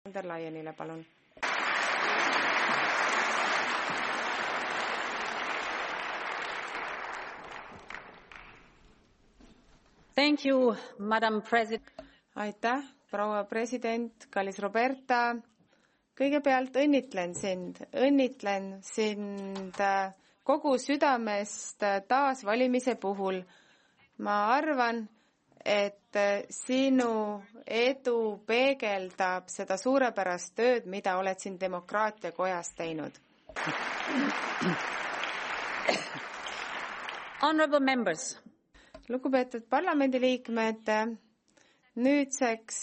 von der Leyenile, palun. Thank you, Madam President. Aitäh, proua president, kallis Roberta. Kõigepealt õnnitlen sind kogu südamest taas valimise puhul. Ma arvan, et sinu edu peegeldab seda suurepärast tööd, mida oled siin demokraatia kojas teinud. Honorable members. Lugupeetud parlamendiliikmed, nüüdseks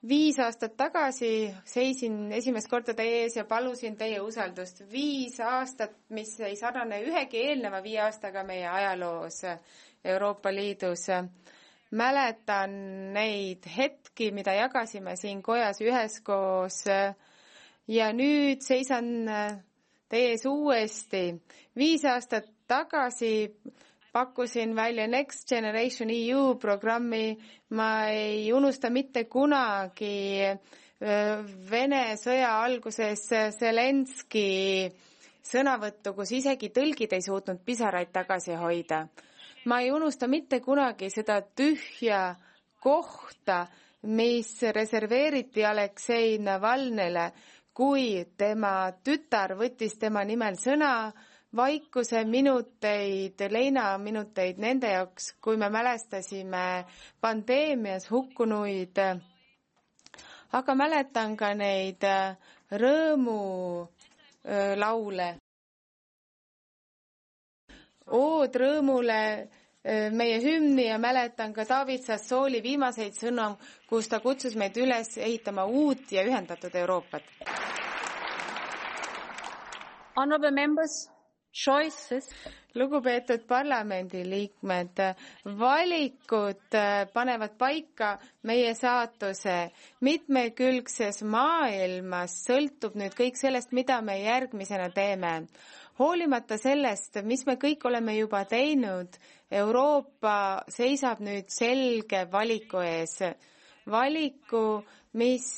5 aastat tagasi seisin esimest korda teie ees ja palusin teie usaldust. 5 aastat, mis ei sarnane ühegi eelneva 5 aastaga meie ajaloos Euroopa Liidus. Mäletan neid hetki, mida jagasime siin kojas üheskoos ja nüüd seisan teie ees uuesti. 5 aastat tagasi pakkusin välja Next Generation EU programmi. Ma ei unusta mitte kunagi Vene sõja alguses Zelenski sõnavõttu, kus isegi tõlgid ei suutnud pisaraid tagasi hoida. Ma ei unusta mitte kunagi seda tühja kohta, mis reserveeriti Aleksei Navalnõile, kui tema tütar võttis tema nimel sõna. Vaikuse minuteid, leinaminuteid nende jaoks, kui me mälestasime pandeemias hukkunuid, aga mäletan ka neid rõõmulaule. Ood rõõmule meie hümni ja mäletan ka David Sassooli viimaseid sõnu, kus ta kutsus meid üles ehitama uut ja ühendatud Euroopat. Honorable members. Choices. Lugupeetud parlamendiliikmed, valikud panevad paika meie saatuse. Mitmekülgses maailmas sõltub nüüd kõik sellest, mida me järgmisena teeme. Hoolimata sellest, mis me kõik oleme juba teinud, Euroopa seisab nüüd selge valiku ees. Valiku, mis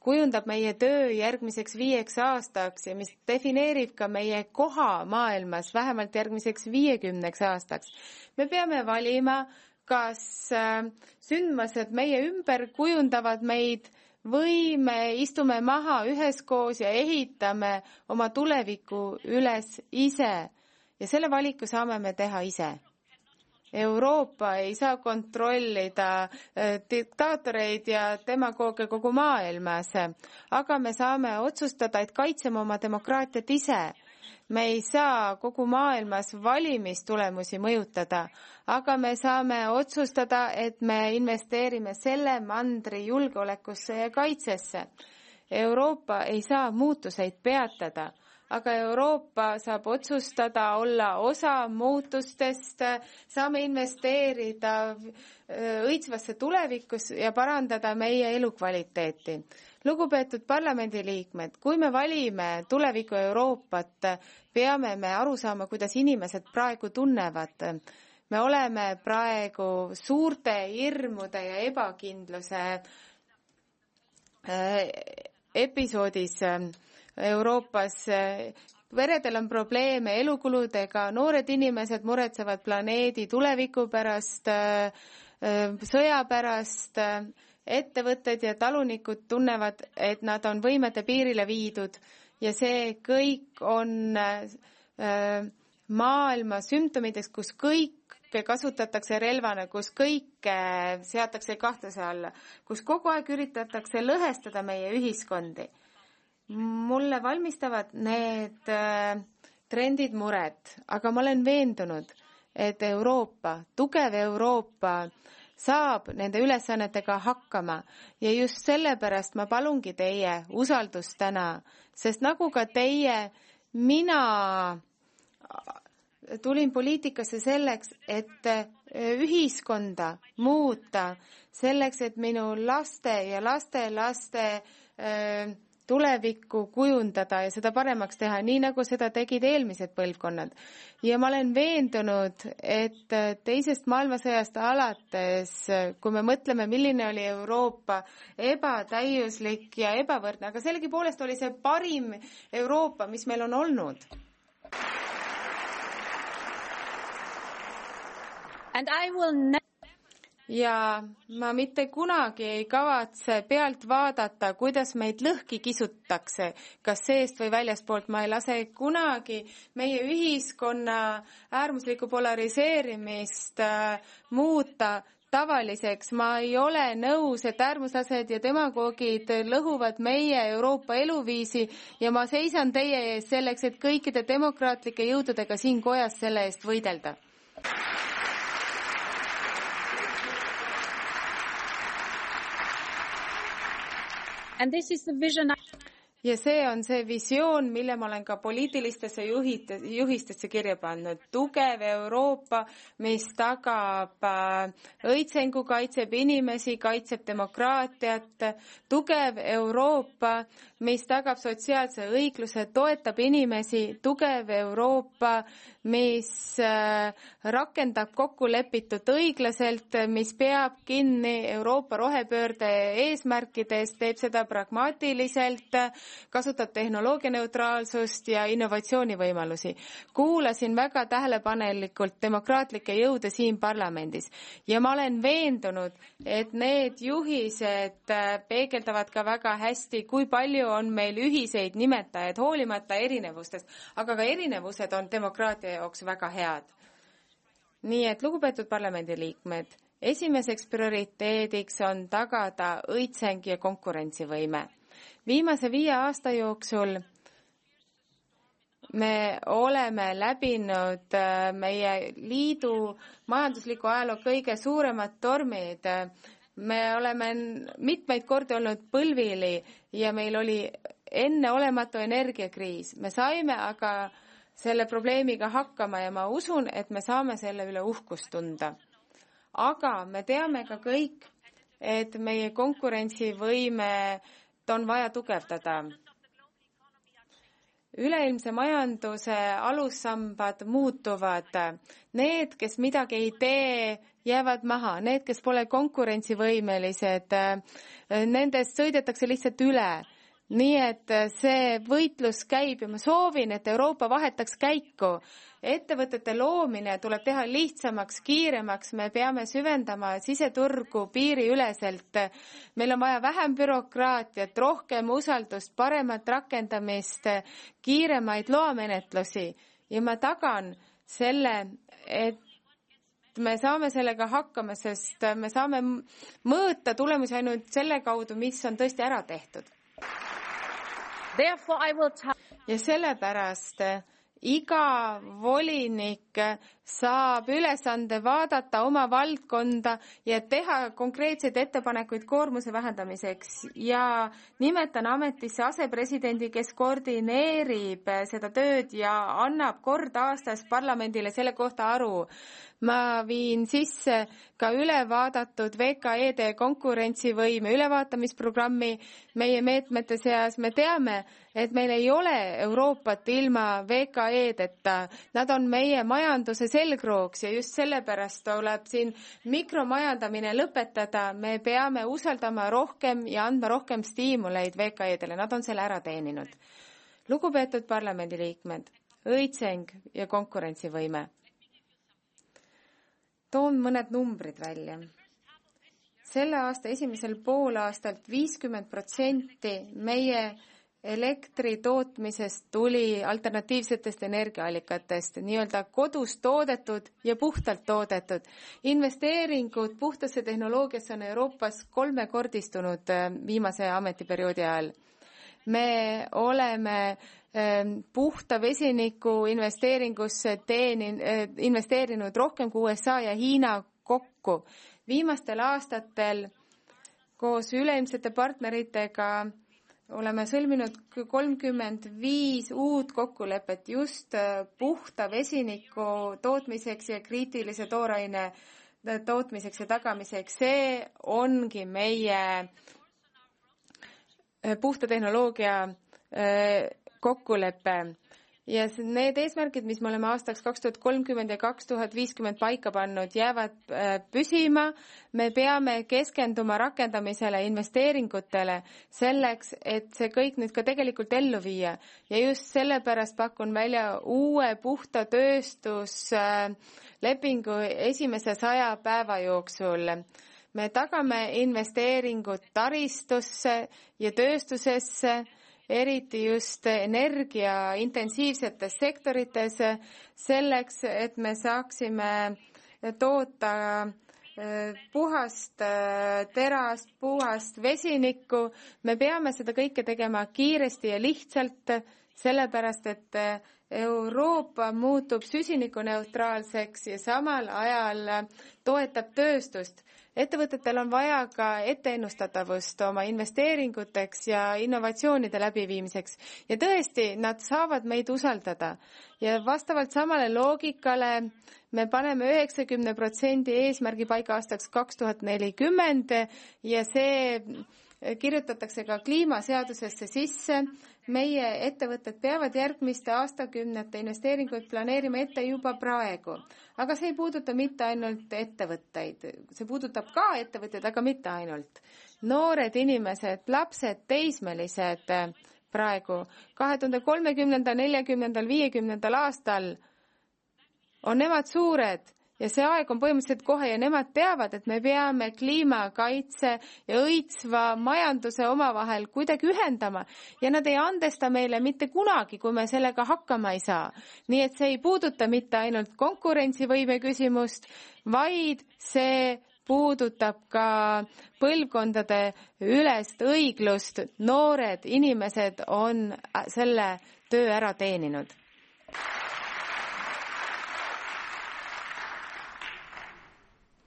kujundab meie töö järgmiseks 5 aastaks ja mis defineerib ka meie koha maailmas vähemalt järgmiseks 50 aastaks. Me peame valima, kas sündmused meie ümber kujundavad meid või me istume maha üheskoos ja ehitame oma tuleviku üles ise. Ja selle valiku saame me teha ise. Euroopa ei saa kontrollida diktaatoreid ja demagooge kogu maailmas, aga me saame otsustada, et kaitseme oma demokraatiat ise. Me ei saa kogu maailmas valimistulemusi mõjutada, aga me saame otsustada, et me investeerime selle mandri julgeolekusse ja kaitsesse. Euroopa ei saa muutuseid peatada. Aga Euroopa saab otsustada olla osa muutustest, saame investeerida õitsvasse tulevikus ja parandada meie elukvaliteeti. Lugupeetud parlamendiliikmed, kui me valime tuleviku Euroopat, peame me aru saama, kuidas inimesed praegu tunnevad. Me oleme praegu suurte hirmude ja ebakindluse episoodis Euroopas. Peredel on probleeme elukuludega, noored inimesed muretsevad planeedi tuleviku pärast, sõja pärast, ettevõtted ja talunikud tunnevad, et nad on võimete piirile viidud ja see kõik on maailma sümptomideks, kus kõike kasutatakse relvana, kus kõike seatakse kahtluse alla, kus kogu aeg üritatakse lõhestada meie ühiskondi. Mulle valmistavad need trendid muret, aga ma olen veendunud, et Euroopa, tugev Euroopa saab nende ülesannetega hakkama ja just sellepärast ma palungi teie usaldust täna, sest nagu ka teie, mina tulin poliitikasse selleks, et ühiskonda muuta, selleks, et minu laste ja lastelaste tulevikku kujundada ja seda paremaks teha, nii nagu seda tegid eelmised põlvkonnad. Ja ma olen veendunud, et teisest maailmasõjast alates, kui me mõtleme, milline oli Euroopa ebatäiuslik ja ebavõrdne, aga sellegipoolest oli see parim Euroopa, mis meil on olnud. And I will ja ma mitte kunagi ei kavatse pealt vaadata, kuidas meid lõhki kisutakse, kas seest või väljaspoolt. Ma ei lase kunagi meie ühiskonna äärmuslikku polariseerimist muuta tavaliseks. Ma ei ole nõus, et äärmuslased ja demagoogid lõhuvad meie Euroopa eluviisi ja ma seisan teie ees selleks, et kõikide demokraatlike jõududega siin kojas selle eest võidelda. And this is the vision ja see on see visioon, mille ma olen ka poliitilistesse juhistesse kirja pannud. Tugev Euroopa, mis tagab õitsengu, kaitseb inimesi, kaitseb demokraatiat. Tugev Euroopa, mis tagab sotsiaalse õigluse, toetab inimesi. Tugev Euroopa, mis rakendab kokkulepitut õiglaselt, mis peab kinni Euroopa rohepöörde eesmärkidest, teeb seda pragmaatiliselt, kasutab tehnoloogianeutraalsust ja innovatsioonivõimalusi. Kuulasin väga tähelepanelikult demokraatlikke jõude siin parlamendis ja ma olen veendunud, et need juhised peegeldavad ka väga hästi, kui palju on meil ühiseid nimetajaid, hoolimata erinevustest, aga ka erinevused on demokraatia jaoks väga head. Nii et lugupeetud parlamendiliikmed, esimeseks prioriteediks on tagada õitseng ja konkurentsivõime. Viimase 5 aasta jooksul me oleme läbinud meie liidu majandusliku ajaloo kõige suuremad tormid. Me oleme mitmeid kordi olnud põlvili ja meil oli enneolematu energiakriis. Me saime aga selle probleemiga hakkama ja ma usun, et me saame selle üle uhkust tunda. Aga me teame ka kõik, et meie konkurentsivõime on vaja tugevdada. Üleilmse majanduse alussambad muutuvad. Need, kes midagi ei tee, jäävad maha. Need, kes pole konkurentsivõimelised, nendest sõidetakse lihtsalt üle. Nii et see võitlus käib ja ma soovin, et Euroopa vahetaks käiku. Ettevõtete loomine tuleb teha lihtsamaks, kiiremaks, me peame süvendama siseturgu piiriüleselt. Meil on vaja vähem bürokraatiat, rohkem usaldust, paremat rakendamist, kiiremaid loamenetlusi ja ma tagan selle, et me saame sellega hakkama, sest me saame mõõta tulemusi ainult selle kaudu, mis on tõesti ära tehtud. Ja sellepärast iga volinik saab ülesande vaadata oma valdkonda ja teha konkreetseid ettepanekuid koormuse vähendamiseks ja nimetan ametisse asepresidendi, kes koordineerib seda tööd ja annab kord aastas parlamendile selle kohta aru. Ma viin sisse ka ülevaadatud VKE-de konkurentsivõime ülevaatamisprogrammi meie meetmete seas. Me teame, et meil ei ole Euroopat ilma VKE-deta. Nad on meie majanduse selgrooks ja just sellepärast tuleb siin mikromajandamine lõpetada. Me peame usaldama rohkem ja andma rohkem stiimuleid VKE-dele. Nad on selle ära teeninud. Lugupeetud parlamendiliikmed, õitseng ja konkurentsivõime. Toon mõned numbrid välja. Selle aasta esimesel poolaastalt 50% meie elektri tootmisest tuli alternatiivsetest energiaallikatest, nii-öelda kodus toodetud ja puhtalt toodetud. Investeeringud puhtasse tehnoloogiasse on Euroopas 3-kordistunud viimase ametiperioodi ajal. Me oleme puhta vesiniku investeeringusse investeerinud rohkem kui USA ja Hiina kokku. Viimastel aastatel koos üleilmsete partneritega oleme sõlminud 35 uut kokkulepet just puhta vesiniku tootmiseks ja kriitilise tooraine tootmiseks ja tagamiseks. See ongi meie puhta tehnoloogia kokkulepe. Ja need eesmärgid, mis me oleme aastaks 2030 ja 2050 paika pannud, jäävad püsima. Me peame keskenduma rakendamisele, investeeringutele selleks, et see kõik nüüd ka tegelikult ellu viia. Ja just sellepärast pakun välja uue puhta tööstuslepingu esimese 100 päeva jooksul. Me tagame investeeringud taristusse ja tööstusesse, eriti just energiaintensiivsetes sektorites, selleks, et me saaksime toota puhast terast, puhast vesinikku. Me peame seda kõike tegema kiiresti ja lihtsalt, sellepärast et Euroopa muutub süsinikuneutraalseks ja samal ajal toetab tööstust. Ettevõtetel on vaja ka etteennustatavust oma investeeringuteks ja innovatsioonide läbiviimiseks. Ja tõesti, nad saavad meid usaldada. Ja vastavalt samale loogikale me paneme 90% eesmärgi paika aastaks 2040 ja see kirjutatakse ka kliimaseadusesse sisse. Meie ettevõtted peavad järgmiste aastakümnete investeeringuid planeerima ette juba praegu. Aga see ei puuduta mitte ainult ettevõtteid. See puudutab ka ettevõtteid, aga mitte ainult. Noored inimesed, lapsed, teismelised praegu 2030, 40, 50 aastal on nemad suured. Ja see aeg on põhimõtteliselt kohe ja nemad teavad, et me peame kliimakaitse ja õitsva majanduse omavahel kuidagi ühendama. Ja nad ei andesta meile mitte kunagi, kui me sellega hakkama ei saa. Nii et see ei puuduta mitte ainult konkurentsivõime küsimust, vaid see puudutab ka põlvkondade ülest õiglust. Noored inimesed on selle töö ära teeninud.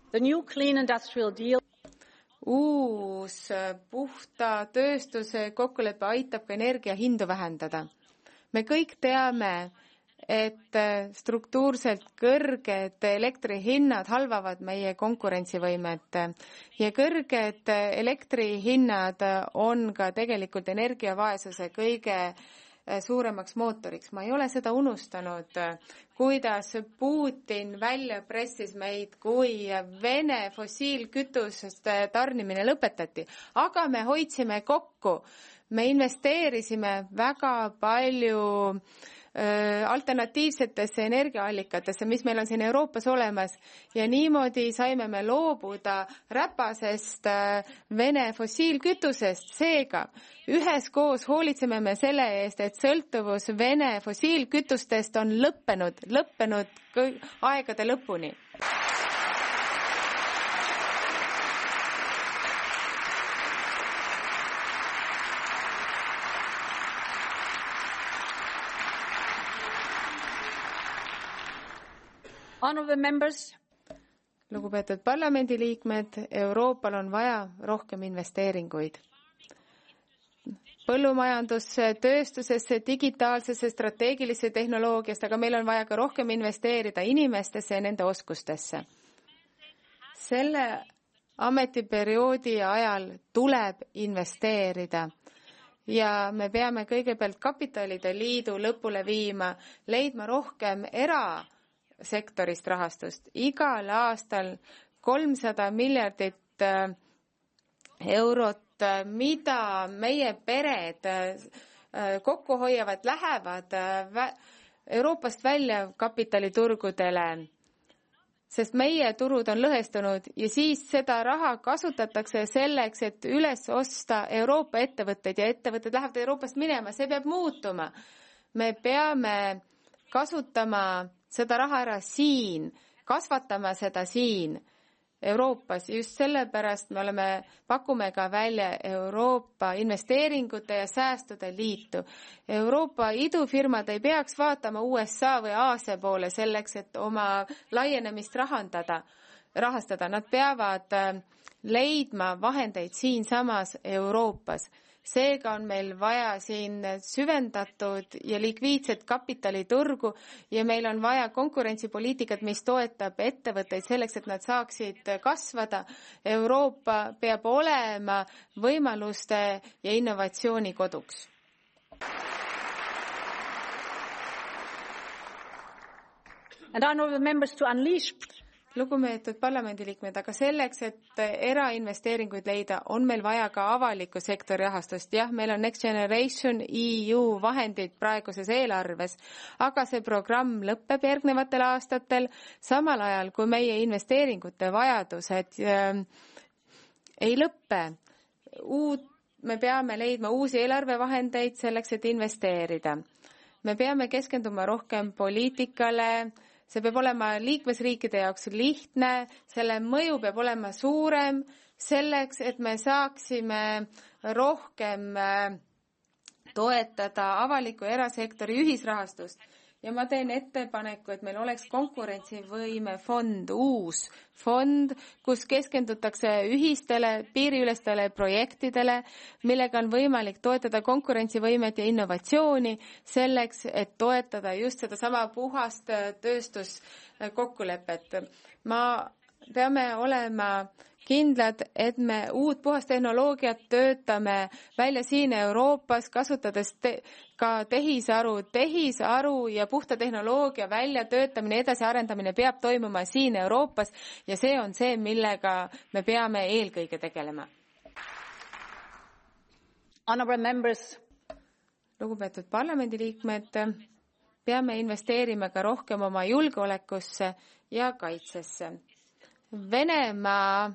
The new clean industrial deal. Uus puhta tööstuse kokkulepe aitab ka energia hindu vähendada. Me kõik teame, et struktuurselt kõrged elektrihinnad halvavad meie konkurentsivõimet ja kõrged elektrihinnad on ka tegelikult energiavaesuse kõige suuremaks mootoriks. Ma ei ole seda unustanud, kuidas Putin välja pressis meid, kui Vene fossiilkütusest tarnimine lõpetati. Aga me hoidsime kokku. Me investeerisime väga palju alternatiivsetesse energiaallikatesse, mis meil on siin Euroopas olemas ja niimoodi saime me loobuda räpasest Vene fossiilkütusest. Seega, üheskoos hoolitseme me selle eest, et sõltuvus Vene fossiilkütustest on lõppenud aegade lõpuni. Honorable members. Lugupeetud parlamendiliikmed, Euroopal on vaja rohkem investeeringuid. Põllumajandusse, tööstusesse, digitaalsesse, strateegilisse tehnoloogiasse, aga meil on vaja ka rohkem investeerida inimestesse ja nende oskustesse. Selle ametiperioodi ajal tuleb investeerida. Ja me peame kõigepealt kapitalide liidu lõpule viima, leidma rohkem erasektorist rahastust. Igal aastal 300 miljardit eurot, mida meie pered kokku hoiavad, lähevad Euroopast välja kapitaliturgudele, sest meie turud on lõhestunud ja siis seda raha kasutatakse selleks, et üles osta Euroopa ettevõtteid ja ettevõtted lähevad Euroopast minema. See peab muutuma. Me peame kasutama seda raha ära siin, kasvatama seda siin Euroopas. Just sellepärast me pakume ka välja Euroopa investeeringute ja säästude liitu. Euroopa idufirmad ei peaks vaatama USA või Aasia poole selleks, et oma laienemist rahastada. Nad peavad leidma vahendeid siinsamas Euroopas. Seega on meil vaja siin süvendatud ja likviidset kapitaliturgu ja meil on vaja konkurentsipoliitikat, mis toetab ettevõtteid selleks, et nad saaksid kasvada. Euroopa peab olema võimaluste ja innovatsiooni koduks. And honorable members, to unleash. Lugupeetud parlamendiliikmed, aga selleks, et erainvesteeringuid leida, on meil vaja ka avaliku sektori rahastust. Jah, meil on Next Generation EU vahendid praeguses eelarves, aga see programm lõpeb järgnevatel aastatel, samal ajal kui meie investeeringute vajadused ei lõppe. Me peame leidma uusi eelarvevahendeid selleks, et investeerida. Me peame keskenduma rohkem poliitikale. See peab olema liikmesriikide jaoks lihtne, selle mõju peab olema suurem selleks, et me saaksime rohkem toetada avaliku ja erasektori ühisrahastust. Ja ma teen ettepaneku, et meil oleks konkurentsivõime fond, uus fond, kus keskendutakse ühistele piiriülestele projektidele, millega on võimalik toetada konkurentsivõimet ja innovatsiooni selleks, et toetada just sedasama puhast tööstuskokkulepet. Peame olema kindlad, et me uut puhast tehnoloogiat töötame välja siin Euroopas, kasutades ka tehisaru ja puhta tehnoloogia väljatöötamine, edasiarendamine peab toimuma siin Euroopas ja see on see, millega me peame eelkõige tegelema. Honorable members. Lugupeetud parlamendiliikmed, peame investeerima ka rohkem oma julgeolekusse ja kaitsesse. Venemaa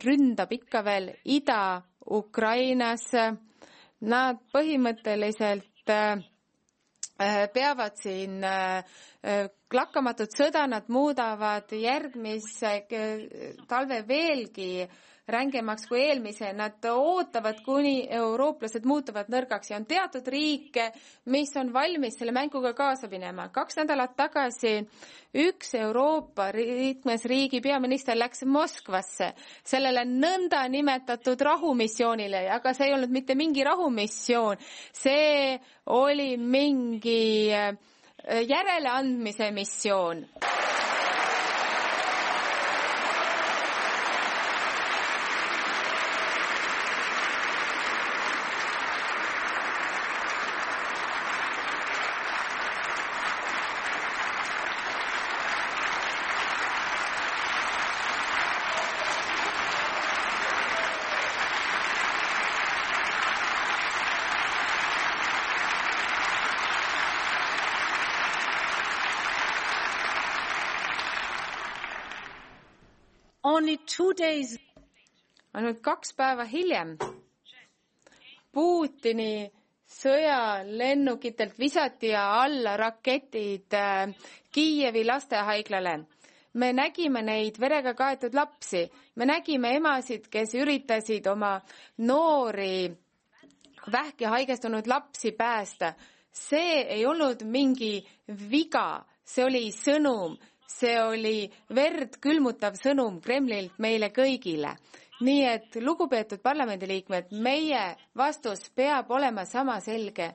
ründab ikka veel Ida-Ukrainas. Nad põhimõtteliselt peavad siin lakkamatut sõda, nad muudavad järgmise talve veelgi rängemaks kui eelmise. Nad ootavad, kuni eurooplased muutuvad nõrgaks ja on teatud riike, mis on valmis selle mänguga kaasa minema. 2 nädalat tagasi üks Euroopa liikmesriigi peaminister läks Moskvasse sellele nõnda nimetatud rahumissioonile, aga see ei olnud mitte mingi rahumissioon, see oli mingi järeleandmise missioon. Only 2 days. Ainult 2 päeva hiljem Putini sõjalennukitelt visati alla raketid Kiievi lastehaiglale. Me nägime neid verega kaetud lapsi. Me nägime emasid, kes üritasid oma noori vähki haigestunud lapsi päästa. See ei olnud mingi viga, see oli sõnum. See oli verd külmutav sõnum Kremlilt meile kõigile. Nii et, lugupeetud parlamendiliikmed, meie vastus peab olema sama selge.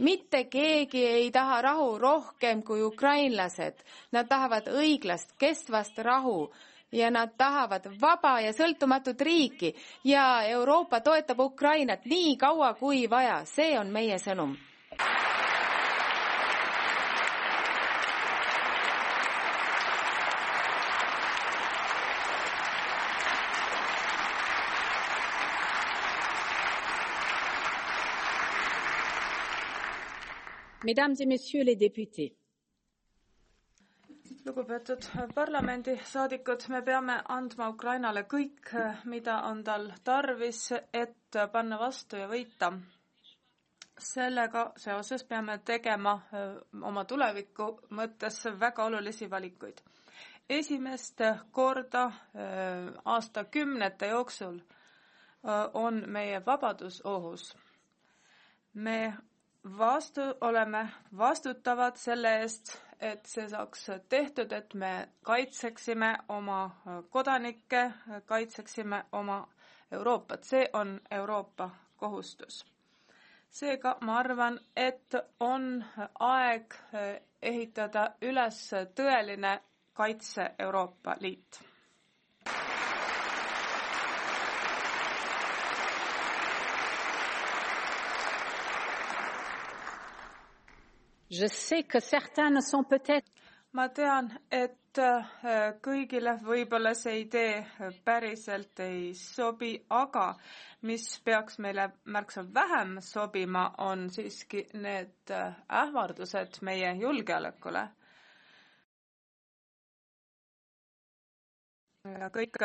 Mitte keegi ei taha rahu rohkem kui ukrainlased. Nad tahavad õiglast, kestvast rahu ja nad tahavad vaba ja sõltumatut riiki. Ja Euroopa toetab Ukrainat nii kaua kui vaja. See on meie sõnum. Mesdames et messieurs les députés. Lugupeetud parlamendisaadikud, me peame andma Ukrainale kõik, mida on tal tarvis, et panna vastu ja võita. Sellega seoses peame tegema oma tuleviku mõttes väga olulisi valikuid. Esimest korda aastakümnete jooksul on meie vabadus ohus. Me oleme vastutavad selle eest, et see saaks tehtud, et me kaitseksime oma kodanikke, kaitseksime oma Euroopat. See on Euroopa kohustus. Seega ma arvan, et on aeg ehitada üles tõeline kaitse Euroopa Liit. Je sais que certains ne sont peut-être ma tean, et kõigile võib-olla see idee päriselt ei sobi, aga mis peaks meile märksa vähem sobima, on siiski need ähvardused meie julgeolekule. Ja kõik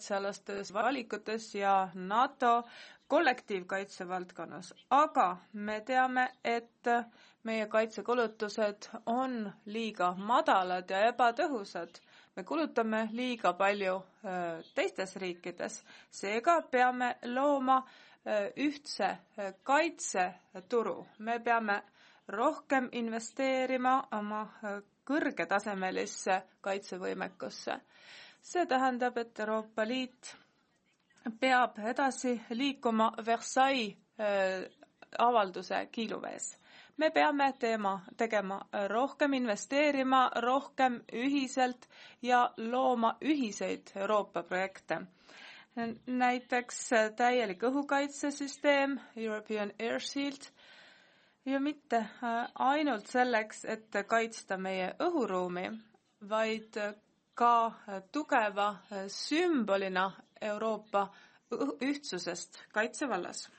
kaitsealastes valikutes ja NATO kollektiivkaitse valdkonnas, aga me teame, et meie kaitsekulutused on liiga madalad ja ebatõhusad. Me kulutame liiga palju teistes riikides, seega peame looma ühtse kaitseturu. Me peame rohkem investeerima oma kõrgetasemelisse kaitsevõimekusse. See tähendab, et Euroopa Liit peab edasi liikuma Versailles avalduse kiiluvees. Me peame tegema rohkem, investeerima rohkem ühiselt ja looma ühiseid Euroopa projekte. Näiteks täielik õhukaitsesüsteem, European Air Shield, ja mitte ainult selleks, et kaitsta meie õhuruumi, vaid ka tugeva sümbolina Euroopa ühtsusest kaitsevallas.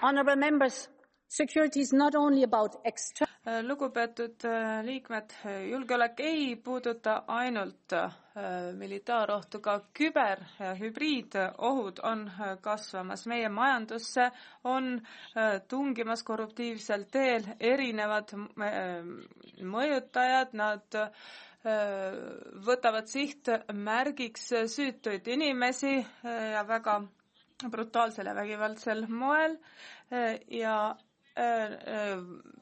Honorable members, security is not only about Lugupeetud liikmed, julgeolek ei puuduta ainult militaarohtu, ka küber- ja hübriidohud on kasvamas. Meie majandusse on tungimas korruptiivsel teel erinevad mõjutajad, nad võtavad sihtmärgiks süütuid inimesi ja väga brutaalsel ja vägivaldsel moel ja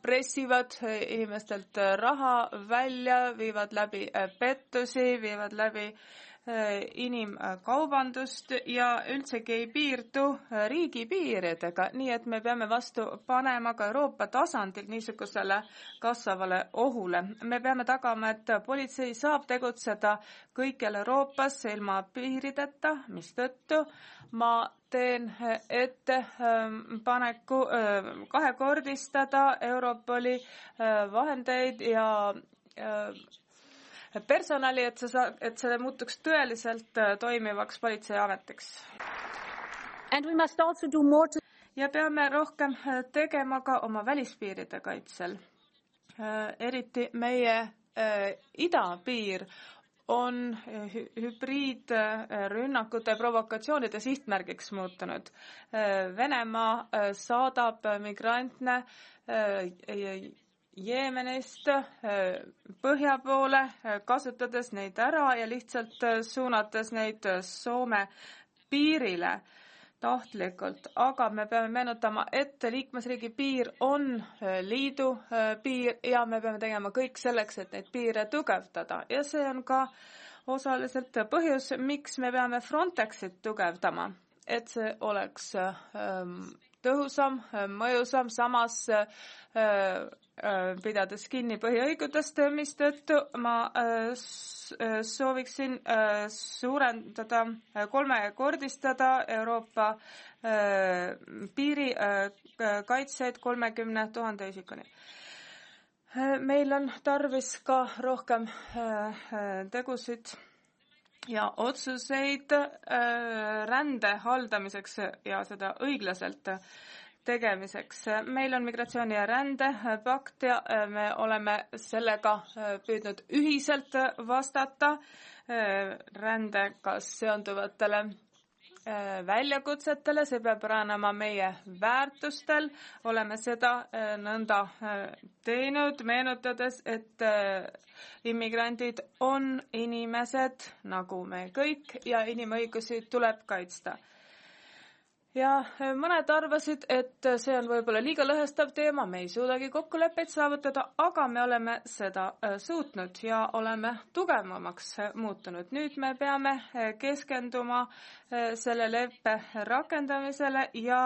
pressivad inimestelt raha välja, viivad läbi pettusi, viivad läbi inimkaubandust ja üldsegi ei piirdu riigipiiridega, nii et me peame vastu panema ka Euroopa tasandil niisugusele kasvavale ohule. Me peame tagama, et politsei saab tegutseda kõikjal Euroopas ilma piirideta, mistõttu ma teen ettepaneku kahekordistada Europoli vahendeid ja personali, et see muutuks tõeliselt toimivaks politseiametiks. Ja peame rohkem tegema ka oma välispiiride kaitsel. Eriti meie idapiir on hübriidrünnakute provokatsioonide sihtmärgiks muutunud. Venemaa saadab migrante Jeemenist põhja poole, kasutades neid ära ja lihtsalt suunates neid Soome piirile tahtlikult. Aga me peame meenutama, et liikmesriigi piir on liidu piir ja me peame tegema kõik selleks, et neid piire tugevdada. Ja see on ka osaliselt põhjus, miks me peame Frontexit tugevdama, et see oleks tõhusam, mõjusam, samas pidades kinni põhiõigudest, mistõttu ma sooviksin suurendada, kolmekordistada Euroopa piirikaitseid 30 000 isikuni. Meil on tarvis ka rohkem tegusid ja otsuseid rände haldamiseks ja seda õiglaselt tegemiseks. Meil on migratsiooni ja rändepakt ja me oleme sellega püüdnud ühiselt vastata rändega seonduvatele väljakutsetele, see peab ranema meie väärtustel, oleme seda nõnda teinud, meenutades, et immigrandid on inimesed nagu me kõik ja inimõigusi tuleb kaitsta. ja mõned arvasid, et see on võib-olla liiga lõhestav teema, me ei suudagi kokkuleppeid saavutada, aga me oleme seda suutnud ja oleme tugevamaks muutunud. Nüüd me peame keskenduma selle leppe rakendamisele ja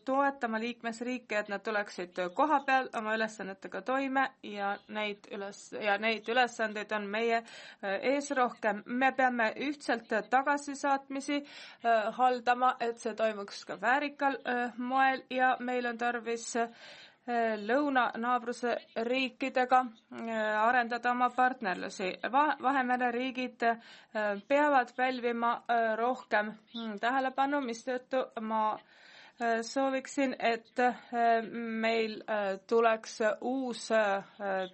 toetama liikmesriike, et nad tuleksid koha peal oma ülesannetega toime ja neid ülesandeid on meie ees rohkem. Me peame ühtselt tagasisaatmisi haldama, et see toimuks ka väärikal moel ja meil on tarvis lõunanaabruse riikidega arendada oma partnerlusi. Vahemere riigid peavad pälvima rohkem tähelepanu, mistõttu ma sooviksin, et meil tuleks uus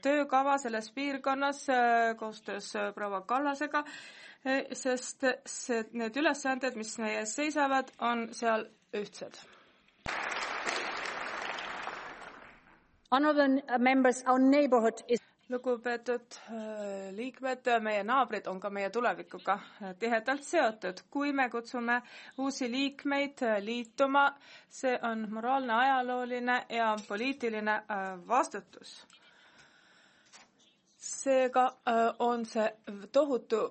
töökava selles piirkonnas koostöös proua Kallasega, sest need ülesanded, mis meie ees seisavad, on seal ühtsed. Honorable members, our neighborhood is Lugupeetud liikmed, meie naabrid on ka meie tulevikuga tihedalt seotud. Kui me kutsume uusi liikmeid liituma, see on moraalne, ajalooline ja poliitiline vastutus. Seega on see tohutu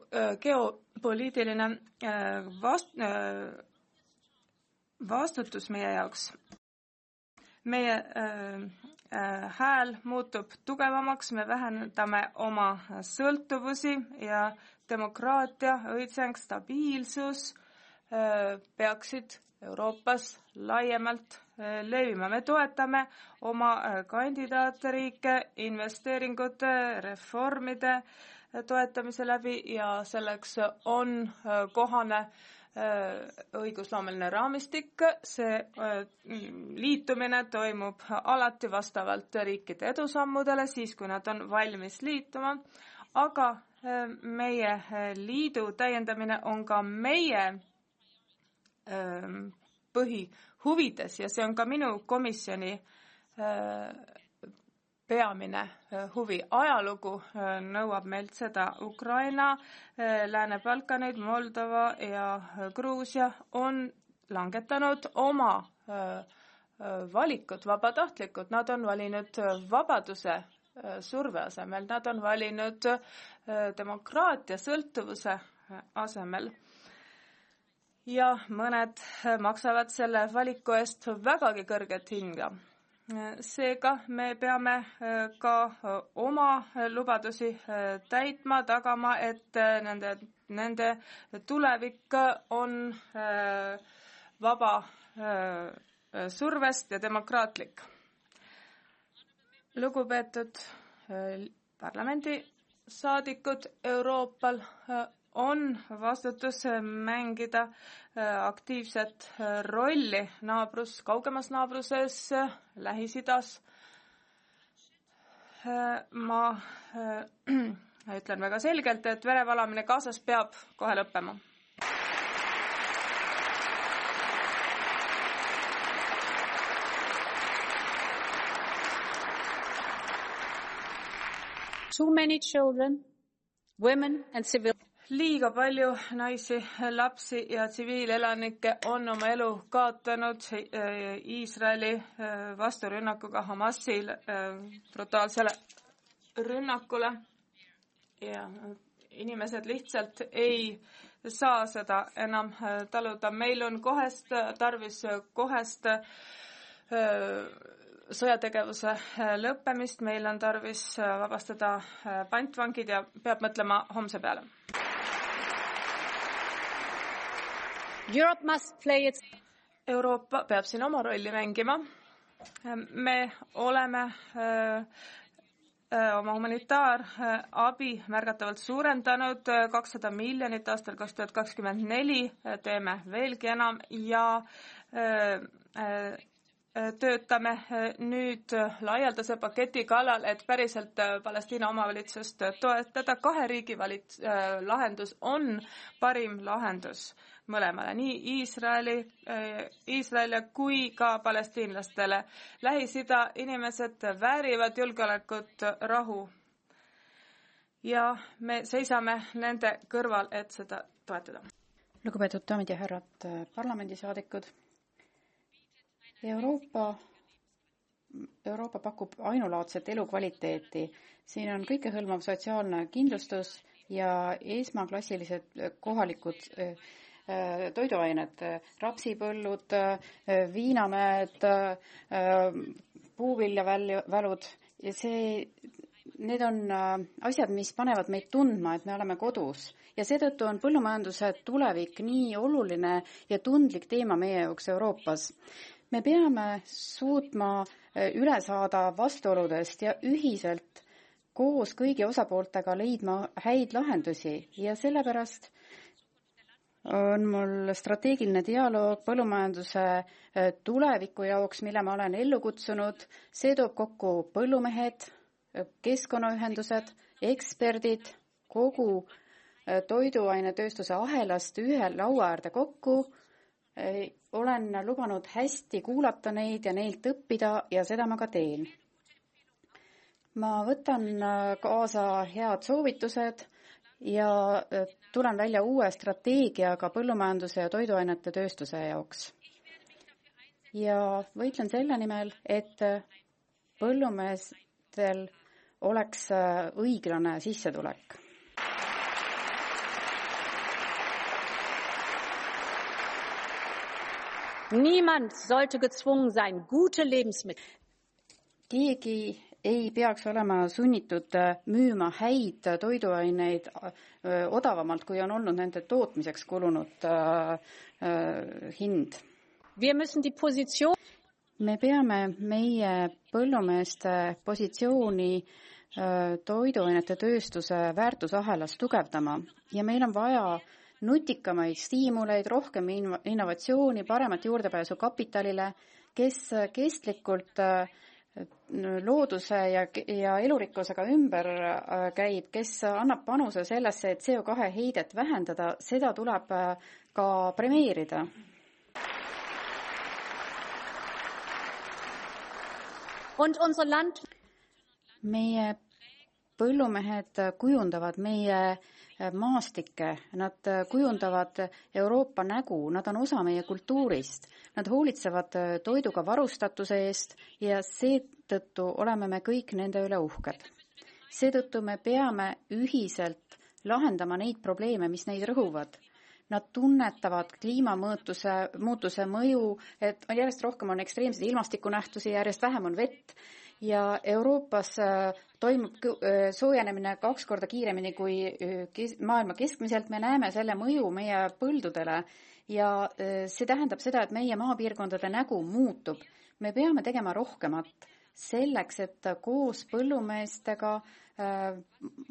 geopoliitiline vastutus meie jaoks. Meie hääl muutub tugevamaks, me vähendame oma sõltuvusi ja demokraatia, õitseng, stabiilsus peaksid Euroopas laiemalt levima. Me toetame oma kandidaatriike investeeringute, reformide toetamise läbi ja selleks on kohane õigusloomeline raamistik. See liitumine toimub alati vastavalt riikide edusammudele, siis kui nad on valmis liituma, aga meie liidu täiendamine on ka meie põhihuvides ja see on ka minu komisjoni peamine huvi. Ajalugu nõuab meilt seda. Ukraina, Lääne-Balkanid, Moldova ja Gruusia on langetanud oma valikud vabatahtlikud. Nad on valinud vabaduse surve asemel, nad on valinud demokraatia sõltuvuse asemel. Ja mõned maksavad selle valiku eest vägagi kõrget hinga. Seega me peame ka oma lubadusi täitma, tagama, et nende tulevik on vaba survest ja demokraatlik. Lugupeetud parlamendisaadikud, Euroopal on vastutus mängida aktiivset rolli kaugemas naabruses, Lähis-Idas. Ma ütlen väga selgelt, et verevalamine Gazas peab kohe lõppema. too many children, women and civilians. Liiga palju naisi, lapsi ja tsiviilelanikke on oma elu kaotanud Iisraeli vasturünnakuga, Hamasi brutaalsele rünnakule ja inimesed lihtsalt ei saa seda enam taluda. Meil on tarvis kohest sõjategevuse lõppemist, meil on tarvis vabastada pantvangid ja peab mõtlema homse peale. Euroopa peab siin oma rolli mängima. Me oleme oma humanitaarabi märgatavalt suurendanud 200 miljonit aastal 2024, teeme veelgi enam ja töötame nüüd laialdase paketi kallal, et päriselt Palestiina omavalitsust toetada. 2 riigi lahendus on parim lahendus mõlemale, nii Iisraelile kui ka palestiinlastele. Lähis-Ida inimesed väärivad julgeolekut, rahu ja me seisame nende kõrval, et seda toetada. Lugupeetud daamid ja härrad parlamendisaadikud, Euroopa pakub ainulaadset elukvaliteeti. Siin on kõikehõlmav sotsiaalne kindlustus ja esmaklassilised kohalikud toiduained, rapsipõllud, viinamäed, puuviljavälud ja need on asjad, mis panevad meid tundma, et me oleme kodus. Ja seetõttu on põllumajanduse tulevik nii oluline ja tundlik teema meie jaoks Euroopas. Me peame suutma üle saada vastuoludest ja ühiselt koos kõigi osapooltega leidma häid lahendusi ja sellepärast on mul strateegiline dialoog põllumajanduse tuleviku jaoks, mille ma olen ellu kutsunud. See toob kokku põllumehed, keskkonnaühendused, eksperdid, kogu toiduainetööstuse ahelast ühe laua äärde kokku. Olen lubanud hästi kuulata neid ja neilt õppida ja seda ma ka teen. Ma võtan kaasa head soovitused ja tulen välja uue strateegiaga põllumajanduse ja toiduainete tööstuse jaoks. Ja võitlen selle nimel, et põllumeestel oleks õiglane sissetulek. Niemand sollte gezwungen sein, gute Lebensmittel. Keegi ei peaks olema sunnitud müüma häid toiduaineid odavamalt, kui on olnud nende tootmiseks kulunud hind. Me peame meie põllumeeste positsiooni toiduainete tööstuse väärtusahelas tugevdama ja meil on vaja nutikamaid stiimuleid, rohkem innovatsiooni, paremat juurdepääsu kapitalile, kes kestlikult looduse ja elurikkusega ümber käib, kes annab panuse sellesse, et CO2 heidet vähendada, seda tuleb ka premeerida. Meie põllumehed kujundavad meie maastikke, nad kujundavad Euroopa nägu, nad on osa meie kultuurist, nad hoolitsevad toiduga varustatuse eest ja seetõttu oleme me kõik nende üle uhked. Seetõttu me peame ühiselt lahendama neid probleeme, mis neid rõhuvad. Nad tunnetavad kliimamuutuse mõju, et järjest rohkem on ekstreemseid ilmastikunähtusi, järjest vähem on vett ja Euroopas toimub soojenemine 2 korda kiiremini kui maailma keskmiselt. Me näeme selle mõju meie põldudele ja see tähendab seda, et meie maapiirkondade nägu muutub. Me peame tegema rohkemat selleks, et koos põllumeestega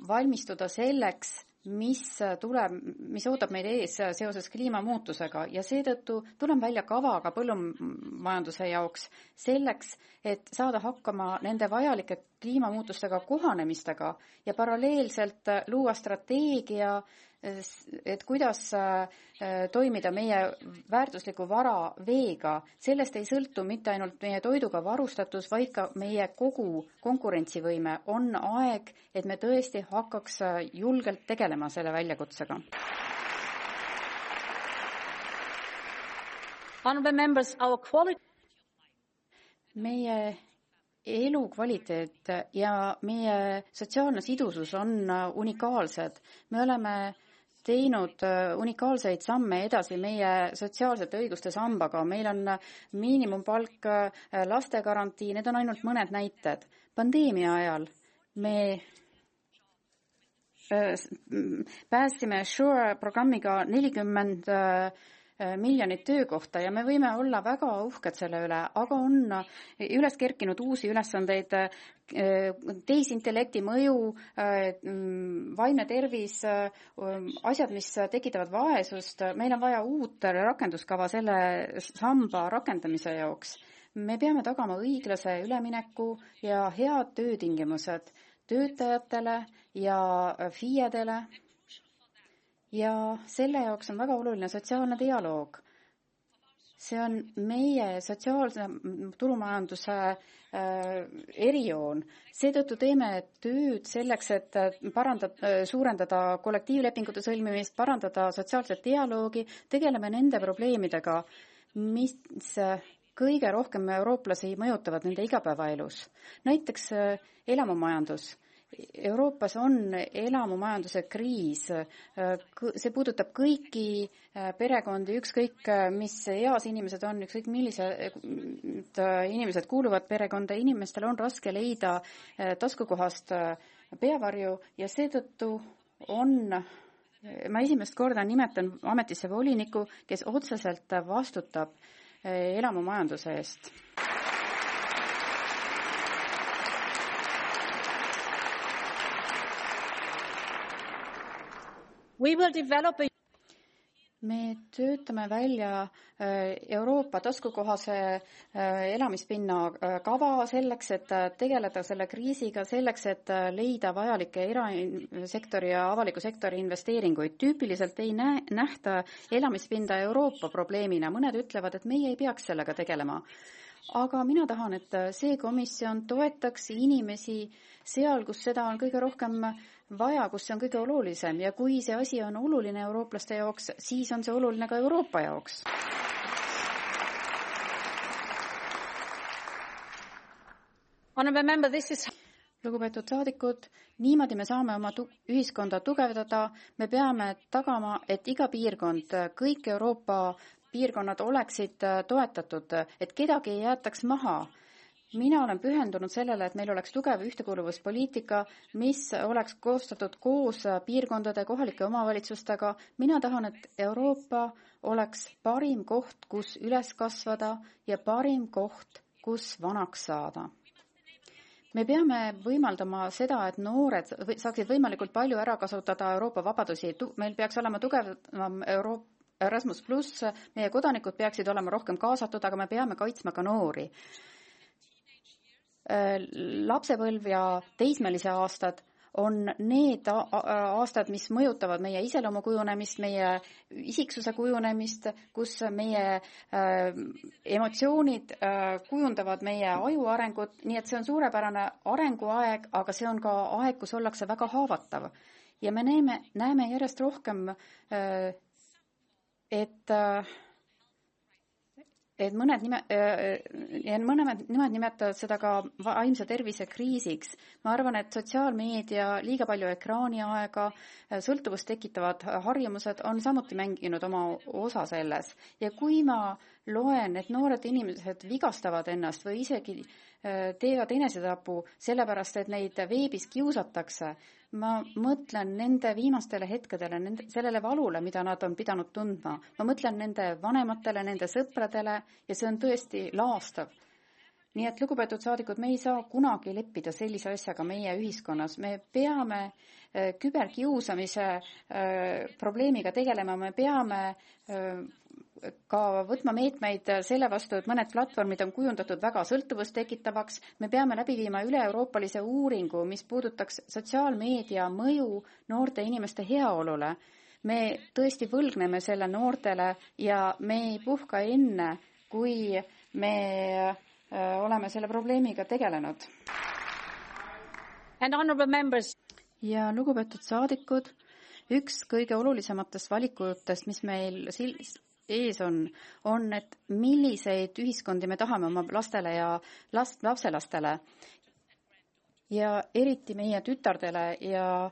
valmistuda selleks, mis ootab meid ees seoses kliimamuutusega ja seetõttu tulen välja kavaga põllumajanduse jaoks selleks, et saada hakkama nende vajalike kliimamuutustega kohanemistega ja paralleelselt luua strateegia, et kuidas toimida meie väärtusliku vara veega. Sellest ei sõltu mitte ainult meie toiduga varustatus, vaid ka meie kogu konkurentsivõime. On aeg, et me tõesti hakkaks julgelt tegelema selle väljakutsega. Meie elukvaliteet ja meie sotsiaalne sidusus on unikaalsed. Me oleme teinud unikaalseid samme edasi meie sotsiaalsete õiguste sambaga. Meil on miinimumpalk, lastegarantii, need on ainult mõned näited. Pandeemia ajal me päästsime SURE programmiga 40 miljonit töökohta ja me võime olla väga uhked selle üle, aga on üles kerkinud uusi ülesandeid, tehisintellekti mõju, vaimne tervis, asjad, mis tekitavad vaesust. Meil on vaja uut rakenduskava selle samba rakendamise jaoks. Me peame tagama õiglase ülemineku ja head töötingimused töötajatele ja FIE-dele. Ja selle jaoks on väga oluline sotsiaalne dialoog. See on meie sotsiaalse turumajanduse erijoon. Seetõttu teeme tööd selleks, et suurendada kollektiivlepingute sõlmimist, parandada sotsiaalset dialoogi, tegeleme nende probleemidega, mis kõige rohkem eurooplasi mõjutavad nende igapäevaelus. Näiteks elamumajandus. Euroopas on elamumajanduse kriis. See puudutab kõiki perekondi, ükskõik mis eas inimesed on, ükskõik millised inimesed kuuluvad perekonda. Inimestel on raske leida taskukohast peavarju ja seetõttu ma esimest korda nimetan ametisse voliniku, kes otseselt vastutab elamumajanduse eest. Me töötame välja Euroopa taskukohase elamispinna kava selleks, et tegeleda selle kriisiga, selleks, et leida vajalikke erasektori ja avaliku sektori investeeringuid. Tüüpiliselt ei nähta elamispinda Euroopa probleemina. Mõned ütlevad, et meie ei peaks sellega tegelema. Aga mina tahan, et see komisjon toetaks inimesi seal, kus seda on kõige rohkem vaja, kus see on kõige olulisem ja kui see asi on oluline eurooplaste jaoks, siis on see oluline ka Euroopa jaoks. Lugupeetud saadikud, niimoodi me saame oma ühiskonda tugevdada. Me peame tagama, et iga piirkond, kõik Euroopa piirkonnad oleksid toetatud, et kedagi ei jäetaks maha. Mina olen pühendunud sellele, et meil oleks tugev ühtekuuluvuspoliitika, mis oleks koostatud koos piirkondade kohalike omavalitsustega. Mina tahan, et Euroopa oleks parim koht, kus üles kasvada ja parim koht, kus vanaks saada. Me peame võimaldama seda, et noored saaksid võimalikult palju ära kasutada Euroopa vabadusi. Meil peaks olema tugevam Erasmus+, meie kodanikud peaksid olema rohkem kaasatud, aga me peame kaitsma ka noori. Lapsepõlv ja teismelise aastad on need aastad, mis mõjutavad meie iseloomu kujunemist, meie isiksuse kujunemist, kus meie emotsioonid kujundavad meie aju arengut, nii et see on suurepärane arenguaeg, aga see on ka aeg, kus ollakse väga haavatav. Ja me näeme järjest rohkem, et mõned nimed nimetavad seda ka vaimse tervise kriisiks. Ma arvan, et sotsiaalmeedia, liiga palju ekraaniaega, sõltuvust tekitavad harjumused on samuti mänginud oma osa selles. Ja kui ma loen, et noored inimesed vigastavad ennast või isegi teevad enesetapu sellepärast, et neid veebis kiusatakse, ma mõtlen nende viimastele hetkedele, sellele valule, mida nad on pidanud tundma. Ma mõtlen nende vanematele, nende sõpradele ja see on tõesti laastav. Nii et lugupeetud saadikud, me ei saa kunagi leppida sellise asjaga meie ühiskonnas. Me peame küberkiusamise probleemiga tegelema, me peame ka võtma meetmeid selle vastu, et mõned platvormid on kujundatud väga sõltuvust tekitavaks. Me peame läbi viima üle-euroopalise uuringu, mis puudutaks sotsiaalmeedia mõju noorte inimeste heaolule. Me tõesti võlgneme selle noortele ja me ei puhka enne, kui me oleme selle probleemiga tegelenud. Ja lugupeetud saadikud, üks kõige olulisematest valikutest, mis meil ees on, et milliseid ühiskondi me tahame oma lastele ja lapselastele ja eriti meie tütardele ja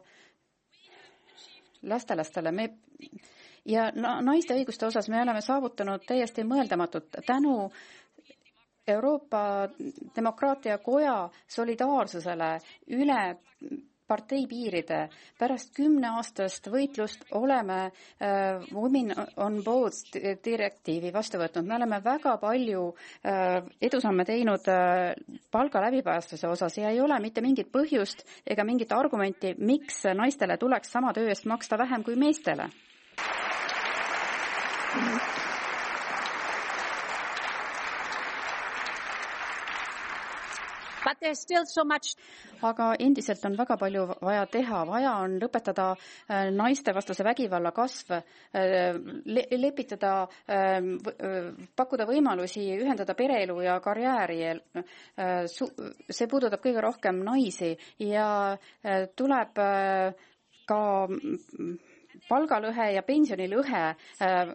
lastelastele. Ja naiste õiguste osas me oleme saavutanud täiesti mõeldamatut tänu Euroopa Demokraatia Koja solidaarsusele üle parteipiiride. Pärast 10-aastast võitlust oleme Women on Boards direktiivi vastu võtnud. Me oleme väga palju edusamme teinud palga läbipaistvuse osas ja ei ole mitte mingit põhjust ega mingit argumenti, miks naistele tuleks sama töö eest maksta vähem kui meestele. Aga endiselt on väga palju vaja teha. Vaja on lõpetada naistevastase vägivalla kasv, lepitada, pakkuda võimalusi ühendada pereelu ja karjääri. See puudutab kõige rohkem naisi ja tuleb ka palgalõhe ja pensionilõhe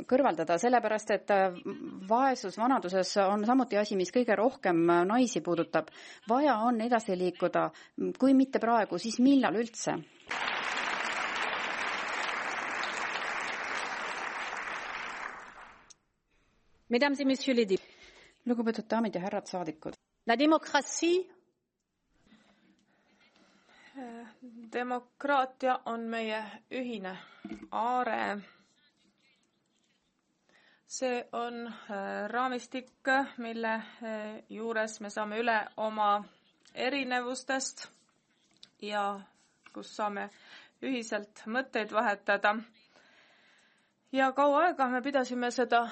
kõrvaldada, sellepärast et vaesus vanaduses on samuti asi, mis kõige rohkem naisi puudutab. Vaja on edasi liikuda, kui mitte praegu, siis millal üldse? Mesdames et messieurs les députés. Lugupeetud daamid ja härrad saadikud. La démocratie. Demokraatia on meie ühine aare. See on raamistik, mille juures me saame üle oma erinevustest ja kus saame ühiselt mõtteid vahetada. Ja kaua aega me pidasime seda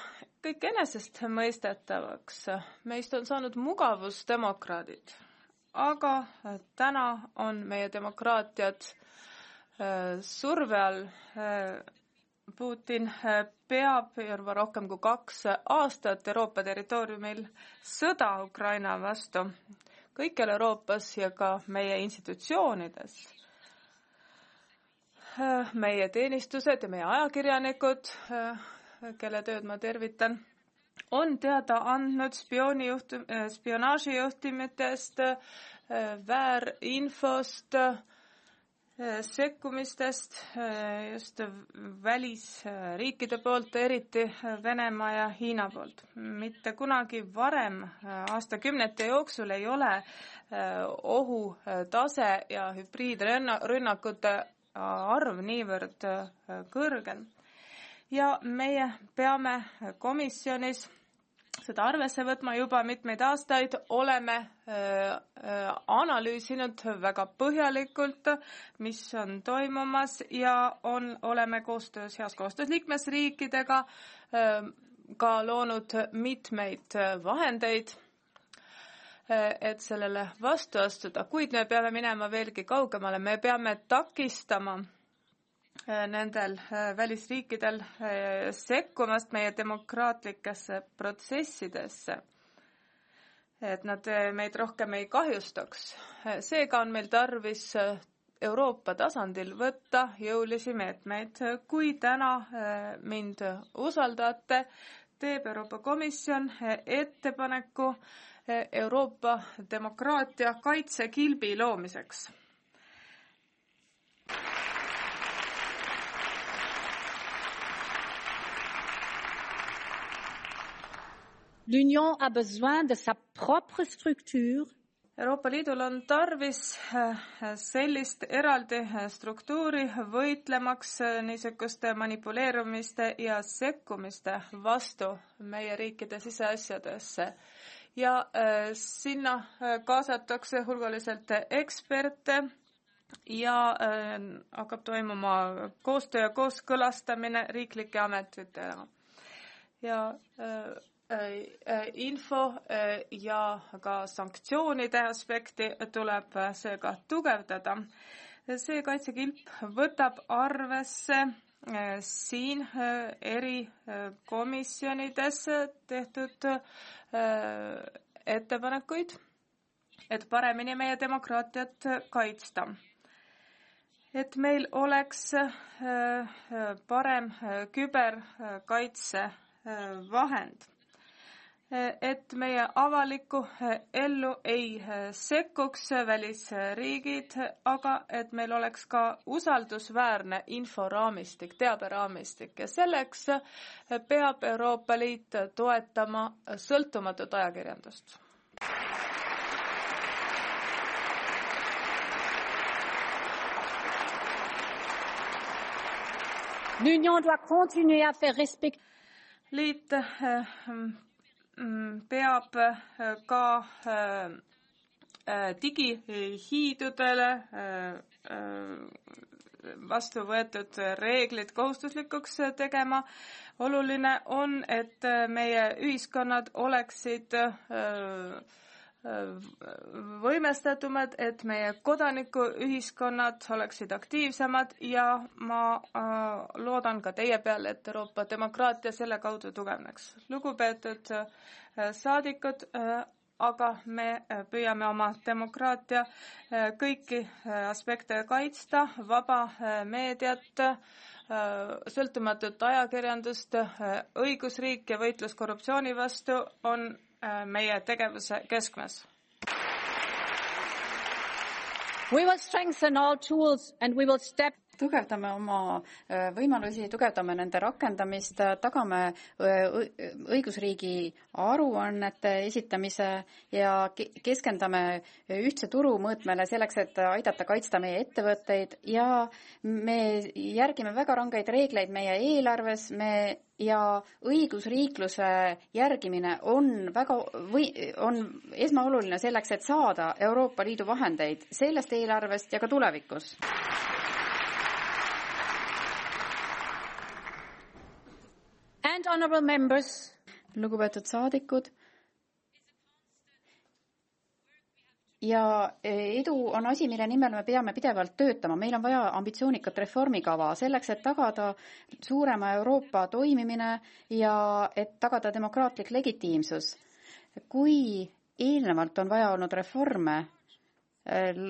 kõik enesestmõistetavaks. Meist on saanud mugavusdemokraadid, aga täna on meie demokraatiad surve all. Putin peab juba rohkem kui 2 aastat Euroopa territooriumil sõda Ukraina vastu, kõikjal Euroopas ja ka meie institutsioonides. Meie teenistused ja meie ajakirjanikud, kelle tööd ma tervitan, on teada andnud spionaažijuhtimitest, väärinfost, sekkumistest just välisriikide poolt, eriti Venemaa ja Hiina poolt. Mitte kunagi varem aastakümnete jooksul ei ole ohutase ja hübriidrünnakute arv niivõrd kõrgel. Ja meie peame komisjonis seda arvesse võtma juba mitmeid aastaid, oleme analüüsinud väga põhjalikult, mis on toimumas ja oleme heas koostöös liikmesriikidega ka loonud mitmeid vahendeid, et sellele vastu astuda, kuid me peame minema veelgi kaugemale, me peame takistama nendel välisriikidel sekkumast meie demokraatlikesse protsessidesse, et nad meid rohkem ei kahjustaks. Seega on meil tarvis Euroopa tasandil võtta jõulisi meetmeid. Kui täna mind usaldate, teeb Euroopa Komisjon ettepaneku Euroopa demokraatia kaitsekilbi loomiseks. L'Union a besoin de sa propre structure. Euroopa Liidul on tarvis sellist eraldi struktuuri võitlemaks niisuguste manipuleerumiste ja sekkumiste vastu meie riikide siseasjadesse. Ja sinna kaasatakse hulgaliselt eksperte ja hakkab toimuma koostöö ja kooskõlastamine riiklike ametitega. Ja info ja ka sanktsioonide aspekti tuleb seega tugevdada. See kaitsekilp võtab arvesse siin eri komisjonides tehtud ettepanekuid, et paremini meie demokraatiat kaitsta. Et meil oleks parem küberkaitse vahend. Et meie avalikku ellu ei sekkuks välisriigid, aga et meil oleks ka usaldusväärne inforaamistik, teaberaamistik ja selleks peab Euroopa Liit toetama sõltumatut ajakirjandust. L'Union doit continuer à faire respecter. Liit peab ka digihiidudele vastu võetud reeglid kohustuslikuks tegema. Oluline on, et meie ühiskonnad oleksid võimestatumad, et meie kodanikuühiskonnad oleksid aktiivsemad ja ma loodan ka teie peale, et Euroopa demokraatia selle kaudu tugevneks. Lugupeetud saadikud, aga me püüame oma demokraatia kõiki aspekte kaitsta, vaba meediat, sõltumatut ajakirjandust, õigusriik ja võitlus korruptsiooni vastu on meie tegevuse keskmes. We will strengthen all tools and we will step tugevdame oma võimalusi, tugevdame nende rakendamist, tagame õigusriigi aruannete esitamise ja keskendume ühtse turu mõõtmele selleks, et aidata kaitsta meie ettevõtteid ja me järgime väga rangeid reegleid meie eelarves, ja õigusriikluse järgimine on esmaoluline selleks, et saada Euroopa Liidu vahendeid sellest eelarvest ja ka tulevikus. And honorable members, lugupeetud saadikud, ja edu on asi, mille nimel me peame pidevalt töötama. Meil on vaja ambitsioonikat reformikava selleks, et tagada suurema Euroopa toimimine ja et tagada demokraatlik legitiimsus. Kui eelnevalt on vaja olnud reforme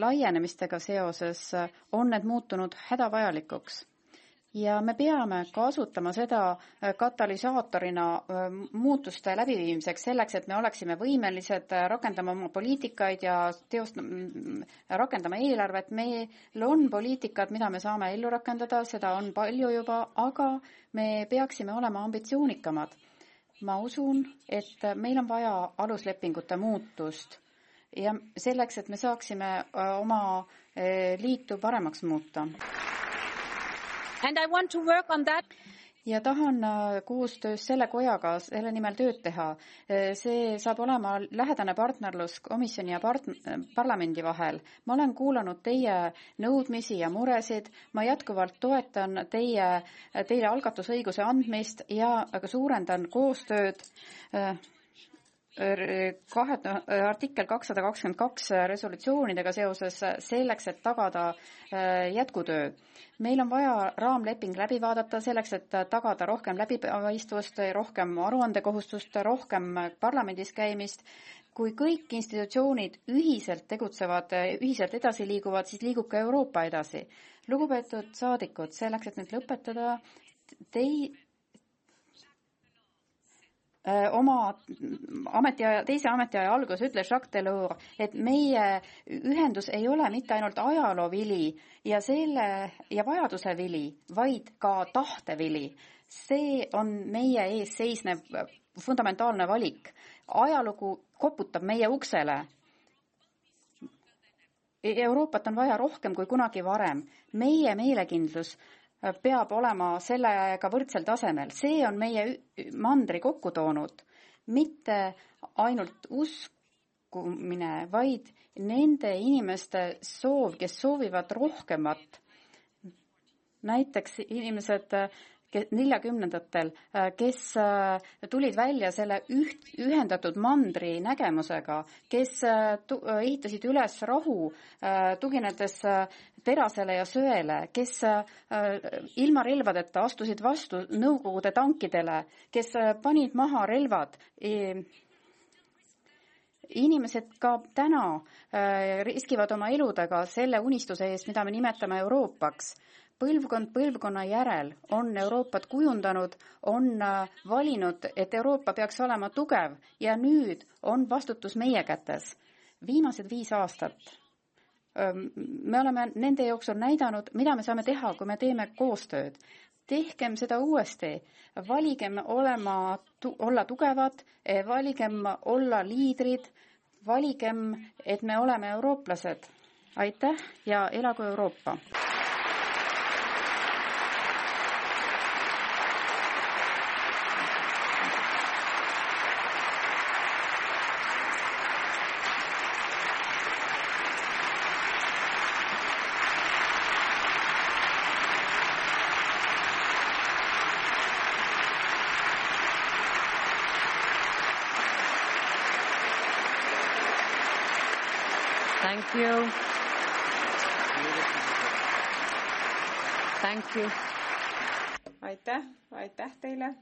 laienemistega seoses, on need muutunud hädavajalikuks. Ja me peame kasutama seda katalüsaatorina muutuste läbiviimiseks selleks, et me oleksime võimelised rakendama oma poliitikaid ja rakendama eelarvet. Meil on poliitikad, mida me saame ellu rakendada, seda on palju juba, aga me peaksime olema ambitsioonikamad. Ma usun, et meil on vaja aluslepingute muutust ja selleks, et me saaksime oma liitu paremaks muuta. And I want to work on that. Ja tahan koostöös selle kojaga selle nimel tööd teha. See saab olema lähedane partnerlus komisjoni ja parlamendi vahel. Ma olen kuulanud teie nõudmisi ja muresid. Ma jätkuvalt toetan teile algatusõiguse andmist ja suurendan koostööd artikkel 222 resolutsioonidega seoses selleks, et tagada jätkutöö. Meil on vaja raamleping läbi vaadata selleks, et tagada rohkem läbipaistvust, rohkem aruandekohustust, rohkem parlamendis käimist. Kui kõik institutsioonid ühiselt tegutsevad, ühiselt edasi liiguvad, siis liigub ka Euroopa edasi. Lugupeetud saadikud, selleks, et nüüd lõpetada, oma teise ametiaja alguses ütles Jacques Delors, et meie ühendus ei ole mitte ainult ajaloovili ja vajaduse vili, vaid ka tahtevili. See on meie ees seisnev fundamentaalne valik. Ajalugu koputab meie uksele. Euroopat on vaja rohkem kui kunagi varem. Meie meelekindlus peab olema sellega võrdsel tasemel. See on meie mandri kokku toonud. Mitte ainult uskumine, vaid nende inimeste soov, kes soovivad rohkemat. Näiteks inimesed 40-ndatel, kes tulid välja selle ühendatud mandri nägemusega, kes ehitasid üles rahu, tuginedes terasele ja söele, kes ilma relvadeta astusid vastu Nõukogude tankidele, kes panid maha relvad. Inimesed ka täna riskivad oma eludega selle unistuse eest, mida me nimetame Euroopaks. Põlvkond põlvkonna järel on Euroopat kujundanud, on valinud, et Euroopa peaks olema tugev ja nüüd on vastutus meie kätes. Viimased 5 aastat me oleme nende jooksul näidanud, mida me saame teha, kui me teeme koostööd. Tehkem seda uuesti. Valigem olla tugevad, valigem olla liidrid, valigem, et me oleme eurooplased. Aitäh ja elagu Euroopa! Thank you. Thank you. Aitäh teile.